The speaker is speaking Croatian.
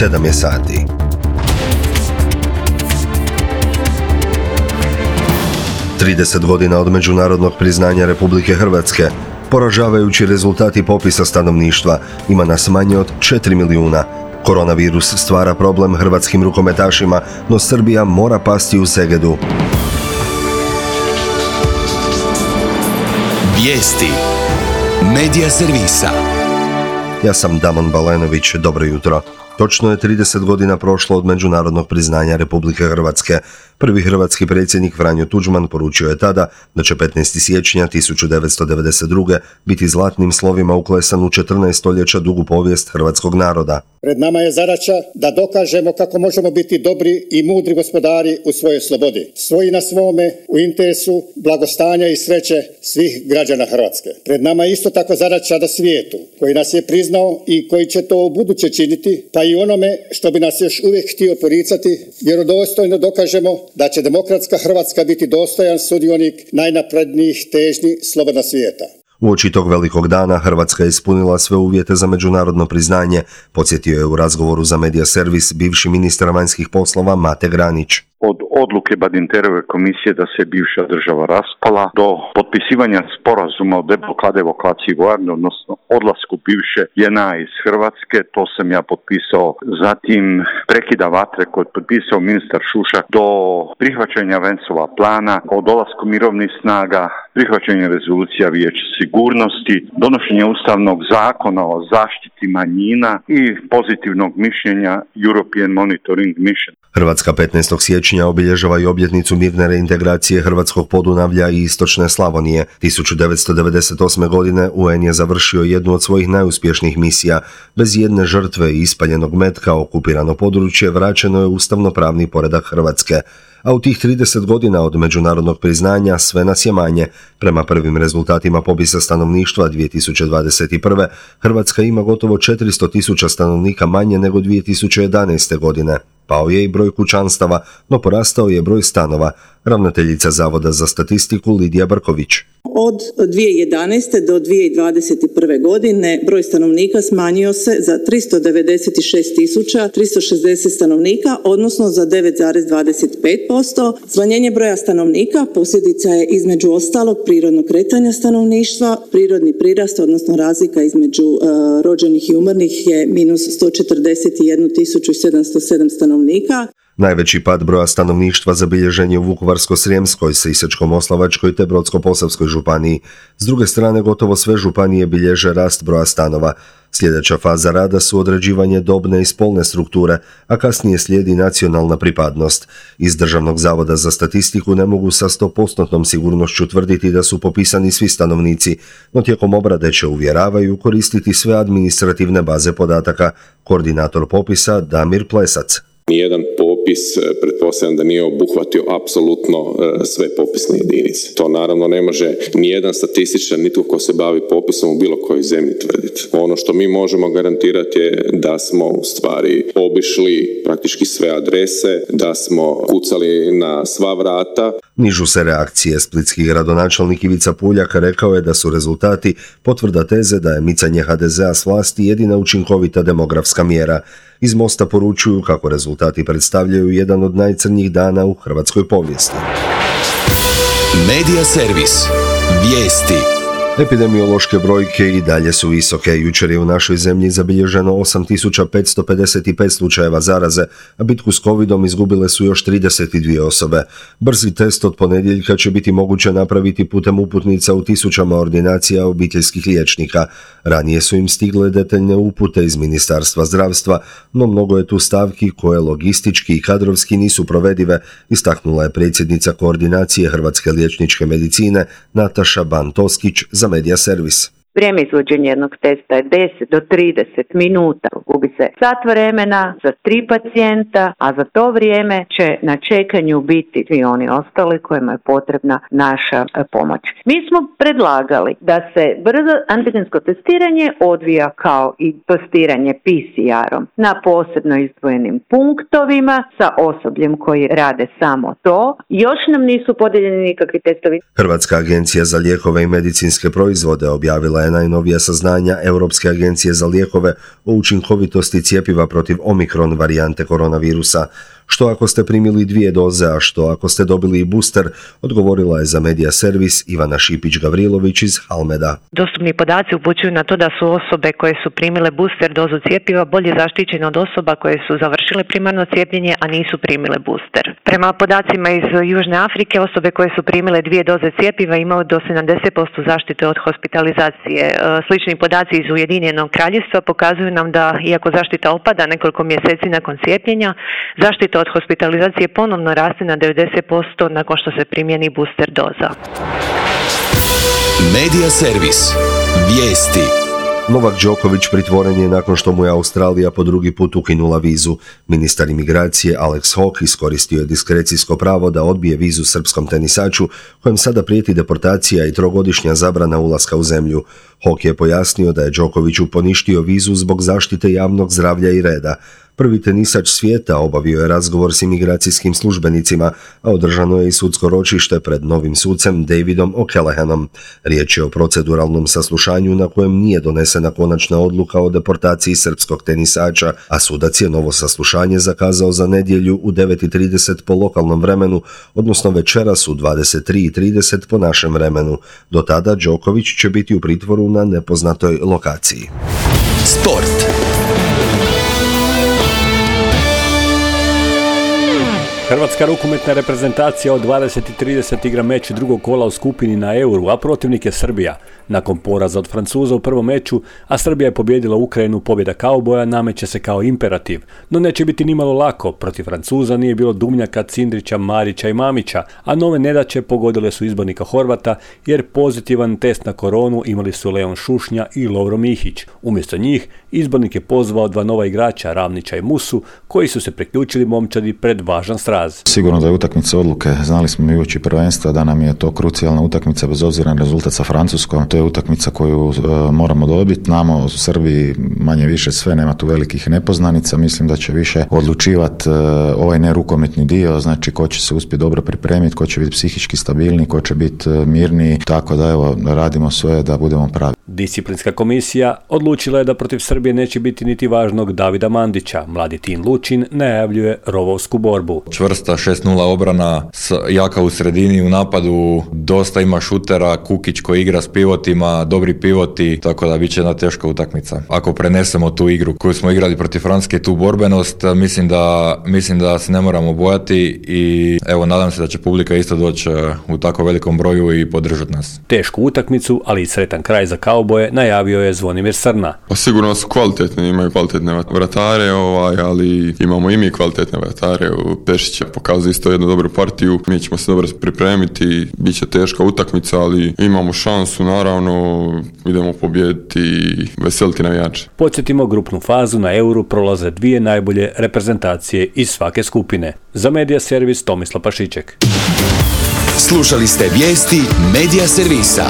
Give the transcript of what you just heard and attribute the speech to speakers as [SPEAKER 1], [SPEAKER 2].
[SPEAKER 1] 7 je sati. Trideset godina od međunarodnog priznanja Republike Hrvatske. Poražavajući rezultati popisa stanovništva. Ima nas manje od 4 milijuna. Koronavirus stvara problem hrvatskim rukometašima, no Srbija mora pasti u Segedu.
[SPEAKER 2] Vijesti Medija servisa.
[SPEAKER 1] Ja sam Damon Balenović, dobro jutro. Točno je 30 godina prošlo od međunarodnog priznanja Republike Hrvatske. Prvi hrvatski predsjednik Franjo Tuđman poručio je tada da će 15. siječnja 1992. biti zlatnim slovima uklesan u 14 stoljeća dugu povijest hrvatskog naroda.
[SPEAKER 3] Pred nama je zadaća da dokažemo kako možemo biti dobri i mudri gospodari u svojoj slobodi. Svoji na svome, u interesu blagostanja i sreće svih građana Hrvatske. Pred nama je isto tako zadaća da svijetu, koji nas je priznao i koji će to u buduće činiti, pa i onome što bi nas još uvijek htio poricati, vjerodostojno dokažemo da će demokratska Hrvatska biti dostojan sudionik najnaprednijih težnji slobodnog svijeta.
[SPEAKER 1] Uoči tog velikog dana Hrvatska je ispunila sve uvjete za međunarodno priznanje, podsjetio je u razgovoru za Medija servis bivši ministar vanjskih poslova Mate Granić.
[SPEAKER 4] Od odluke Badinterove komisije da se bivša država raspala do potpisivanja sporazuma o deblokaciji vojarne, odnosno odlasku bivše JNA iz Hrvatske, to sam ja potpisao. Zatim prekida vatre koji je potpisao ministar Šušak, do prihvaćanja Vencova plana, o dolasku mirovnih snaga, prihvaćanje rezolucija Vijeća sigurnosti, donošenje ustavnog zakona o zaštiti manjina i pozitivnog mišljenja European Monitoring Mission.
[SPEAKER 1] Hrvatska 15. siječnja obilježava i obljetnicu mirne reintegracije hrvatskog Podunavlja i istočne Slavonije. 1998. godine UN je završio jednu od svojih najuspješnijih misija. Bez jedne žrtve i ispaljenog metka okupirano područje vraćeno je ustavno-pravni poredak Hrvatske. A u tih 30 godina od međunarodnog priznanja sve nas je manje. Prema prvim rezultatima popisa stanovništva 2021. Hrvatska ima gotovo 400.000 stanovnika manje nego 2011. godine. Pao je i broj kućanstava, no porastao je broj stanova. Ravnateljica Zavoda za statistiku Lidija Brković.
[SPEAKER 5] Od 2011. do 2021. godine broj stanovnika smanjio se za 396.360 stanovnika, odnosno za 9,25%. Smanjenje broja stanovnika posljedica je između ostalog prirodnog kretanja stanovništva. Prirodni prirast, odnosno razlika između rođenih i umrlih je minus 141.707 stanovnika.
[SPEAKER 1] Najveći pad broja stanovništva zabilježen je u Vukovarsko-srijemskoj, Sisačko-moslavačkoj te Brodsko-posavskoj županiji. S druge strane, gotovo sve županije bilježe rast broja stanova. Sljedeća faza rada su određivanje dobne i spolne strukture, a kasnije slijedi nacionalna pripadnost. Iz Državnog zavoda za statistiku ne mogu sa 100% sigurnošću tvrditi da su popisani svi stanovnici, no tijekom obrade će, uvjeravaju, koristiti sve administrativne baze podataka. Koordinator popisa Damir Plesac.
[SPEAKER 6] Nijedan popis, pretpostavljam da nije obuhvatio apsolutno sve popisne jedinice. To naravno ne može nijedan statističar, nitko ko se bavi popisom u bilo kojoj zemlji tvrditi. Ono što mi možemo garantirati je da smo u stvari obišli praktički sve adrese, da smo kucali na sva vrata.
[SPEAKER 1] Nižu se reakcije. Splitski gradonačelnik Ivica Puljak rekao je da su rezultati potvrda teze da je micanje HDZ-a s vlasti jedina učinkovita demografska mjera. Iz Mosta poručuju kako rezultati predstavljaju jedan od najcrnjih dana u hrvatskoj povijesti.
[SPEAKER 2] Medija servis. Vijesti.
[SPEAKER 1] Epidemiološke brojke i dalje su visoke. Jučer je u našoj zemlji zabilježeno 8.555 slučajeva zaraze, a bitku s covidom izgubile su još 32 osobe. Brzi test od ponedjeljka će biti moguće napraviti putem uputnica u tisućama ordinacija obiteljskih liječnika. Ranije su im stigle detaljne upute iz Ministarstva zdravstva, no mnogo je tu stavki koje logistički i kadrovski nisu provedive, istaknula je predsjednica koordinacije Hrvatske liječničke medicine Nataša Ban-Toskić za Medija servis.
[SPEAKER 7] Vrijeme izvođenja jednog testa je 10 do 30 minuta. Gubi se sat vremena za 3 pacijenta, a za to vrijeme će na čekanju biti svi oni ostali kojima je potrebna naša pomoć. Mi smo predlagali da se brzo antigensko testiranje odvija kao i testiranje PCR-om na posebno izdvojenim punktovima sa osobljem koji rade samo to. Još nam nisu podijeljeni nikakvi testovi.
[SPEAKER 1] Hrvatska agencija za lijekove i medicinske proizvode objavila je najnovija saznanja Europske agencije za lijekove o učinkovitosti cjepiva protiv omikron varijante koronavirusa. Što ako ste primili 2 doze, a što ako ste dobili i booster, odgovorila je za Medija servis Ivana Šipić-Gavrilović iz Halmeda.
[SPEAKER 8] Dostupni podaci upućuju na to da su osobe koje su primile booster dozu cjepiva bolje zaštićene od osoba koje su završile primarno cijepljenje, a nisu primile booster. Prema podacima iz Južne Afrike, osobe koje su primile 2 doze cjepiva imaju do 70% zaštite od hospitalizacije. Slični podaci iz Ujedinjenog Kraljevstva pokazuju nam da, iako zaštita opada nekoliko mjeseci nakon cijepljenja, zaštita od hospitalizacije ponovno raste na 90% nakon što se primjeni booster doza.
[SPEAKER 2] Medija servis. Vijesti.
[SPEAKER 1] Novak Đoković pritvoren je nakon što mu je Australija po drugi put ukinula vizu. Ministar imigracije Alex Hawke iskoristio je diskrecijsko pravo da odbije vizu srpskom tenisaču, kojem sada prijeti deportacija i 3-godišnja zabrana ulaska u zemlju. Hawke je pojasnio da je Đokoviću poništio vizu zbog zaštite javnog zdravlja i reda. Prvi tenisač svijeta obavio je razgovor s imigracijskim službenicima, a održano je i sudsko ročište pred novim sucem Davidom O'Callaghanom. Riječ je o proceduralnom saslušanju na kojem nije donesena konačna odluka o deportaciji srpskog tenisača, a sudac je novo saslušanje zakazao za nedjelju u 9:30 po lokalnom vremenu, odnosno večeras u 23:30 po našem vremenu. Do tada Đoković će biti u pritvoru na nepoznatoj lokaciji.
[SPEAKER 2] Sport.
[SPEAKER 9] Hrvatska rukometna reprezentacija od 20:30 igra meč drugog kola u skupini na Euru, a protivnik je Srbija. Nakon poraza od Francuza u prvom meču, a Srbija je pobijedila Ukrajinu, pobjeda kauboja nameće se kao imperativ. No neće biti nimalo lako, protiv Francuza nije bilo Dumljaka, Cindrića, Marića i Mamića, a nove nedaće pogodile su izbornika Horvata, jer pozitivan test na koronu imali su Leon Šušnja i Lovro Mihić. Umjesto njih, izbornik je pozvao 2 nova igrača, Ravnića i Musu, koji su se priključili momčadi pred važan straz.
[SPEAKER 10] Sigurno da je utakmica odluke. Znali smo mi uoči prvenstva da nam je to krucijalna utakmica bez obzira na rezultat sa Francuskom. To je utakmica koju moramo dobiti. Znamo u Srbiji manje više sve, nema tu velikih nepoznanica. Mislim da će više odlučivati ovaj nerukometni dio, znači ko će se uspjeti dobro pripremiti, ko će biti psihički stabilni, ko će biti mirniji. Tako da evo, radimo sve da budemo pravi.
[SPEAKER 9] Disciplinska komisija odlučila je da protiv Srbije neće biti niti važnog Davida Mandića. Mladi Tin Lučin najavljuje rovovsku borbu.
[SPEAKER 11] Čvrsta 6-0 obrana, jaka u sredini, u napadu dosta ima šutera, Kukić koji igra s pivotima, dobri pivoti, tako da bit će jedna teška utakmica. Ako prenesemo tu igru koju smo igrali protiv Francuske, tu borbenost, mislim da se ne moramo bojati i evo, nadam se da će publika isto doći u tako velikom broju i podržati nas.
[SPEAKER 9] Tešku utakmicu, ali i sretan kraj za kauboje najavio je Zvonimir Srna.
[SPEAKER 12] Pa sigurno su kvalitetni, imaju kvalitetne vratare, ali imamo i mi kvalitetne vratare. Pešić je pokazao isto jednu dobru partiju, mi ćemo se dobro pripremiti, bit će teška utakmica, ali imamo šansu, naravno, idemo pobijediti i veseliti navijače.
[SPEAKER 9] Podsjetimo, grupnu fazu na Euru prolaze 2 najbolje reprezentacije iz svake skupine. Za Medija servis Tomislav Pašiček.
[SPEAKER 2] Slušali ste vijesti Medija servisa.